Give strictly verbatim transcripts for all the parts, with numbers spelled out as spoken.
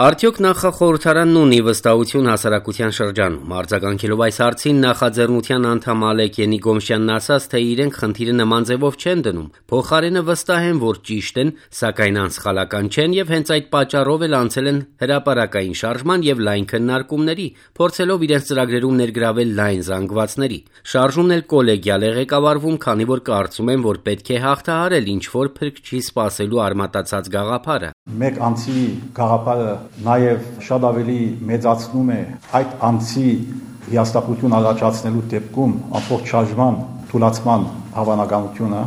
Արդյոք նախախորհրդարանն ունի վստահություն հասարակության շրջանում։ Արձագանքելով այս հարցին նախաձեռնության անդամ Ալեք Ենիկոմշյանն ասաց, թե իրենք խնդիրը նման ձևով չեն դնում, փոխարենը վստահ են, որ ճիշտ են, սակայն անսխալական չեն եւ հենց այդ պատճառով էլ անցել են հրապարակային շարժման եւ լայն քննարկումների, փորձելով իրենց ծրագրերում ներգրավել լայն զանգվածների։ Շարժումն էլ կոլեգիալ է ղեկավարվում, քանի որ կարծում են, որ պետք է հաղթահարել ինչ-որ փրկչի սպասելու արմատացած գաղափարը։ Մեկ անձի գաղափարը նաև շատ ավելի մեծացնում է այդ անձի հիասթափություն առաջացնելու դեպքում ամբողջ շարժման թուլացման հավանականությունը։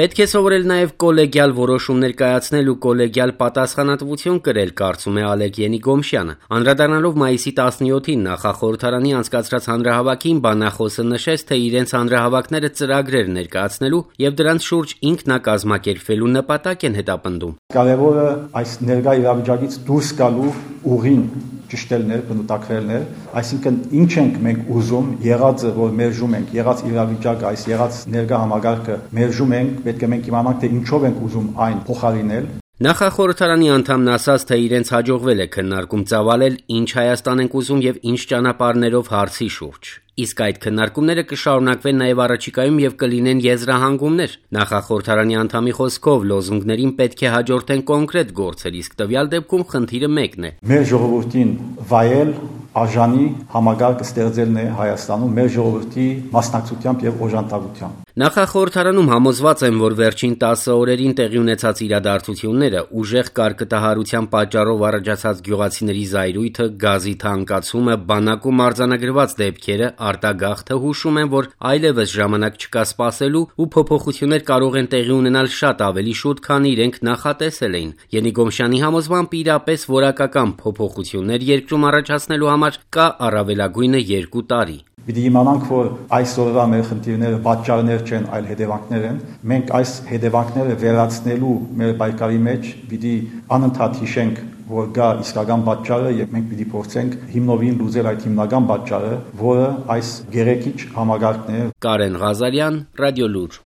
Պետք է սովորել նաև կոլեգիալ որոշումներ կայացնել ու կոլեգիալ պատասխանատվություն կրել, կարծում է Ալեք Ենիկոմշյանը։ Անդրադառնալով մայիսի տասնյոթին նախախորհրդարանի անցկացրած հանրահավաքին, բանախոսը նշեց, թե իրենց հանրահավաքները ծրագրեր ներկայացնելու եւ դրանց շուրջ ինքնակազմակերպվելու նպատակ են հետապնդում։ Կարևորը այս ներկա իրավիճակից դուրս գալու ուղին ճշտելն է, բնութագրելն է, այսինքն ինչ ենք մենք ուզում, եղածը, որ մերժում ենք, եղած իրավիճակը, այս եղած ներկա համագարկը մերժում ենք, պետք է մենք իմանանք, թե ինչով ենք ուզում այն փոխարինել։ Նախախորհրդարանի անդամն ասաց, թե իրենց հաջողվել է քննարկում ծավալել, ինչ Հայաստան ենք ուզում եւ ինչ ճանապարհներով հարցի շուրջ։ Իսկ այդ քննարկումները կշարունակվեն նաև առաջիկայում եւ կլինեն եզրահանգումներ։ Նախախորհրդարանի անդամի խոսքով լոզունգներին պետք է հաջորդեն կոնկրետ գործեր, իսկ տվյալ դեպքում խնդիրը մեկն է։ Մեր ժողովրդին վայել արժանի համագարկ ստեղծելն է Հայաստանում մեր ժողովրդի մասնակցությամբ եւ օժանդակությամբ։ Նախախորհրդարանում համոզված են, որ վերջին տասը օրերին տեղի ունեցած իրադարձությունները, ուժեղ կարկտահարության պատճառով առաջացած գյուղացիների զայրույթը, գազի թանկացումը, բանակում արձանագրված դեպքերը, արտագաղթը հուշում են, որ այլևս ժամանակ չկա սպասելու ու փոփոխություններ կարող են տեղի ունենալ շատ ավելի շուտ, քան իրենք նախատեսել էին։ Ենիկոմշյանի համոզմամբ իրապես որակական փոփոխություններ երկրում առաջացնելու համար կա առավելագույնը երկու տարի։ Պիտի իմանանք, որ այսօրվա մեր խնդիրները պատճառներ չեն, այլ հետևանքներ են։ Մենք այս հետևանքները վերացնելու մեր պայքարի մեջ պիտի անընդհատ հիշենք, որ գա իսկական պատճառը եւ մենք պիտի փորձենք հիմնովին լուծել այդ հիմնական պատճառը, որը այս գերեքիչ համագարկն է։ Կարեն Ղազարյան, Ռադիոլուր։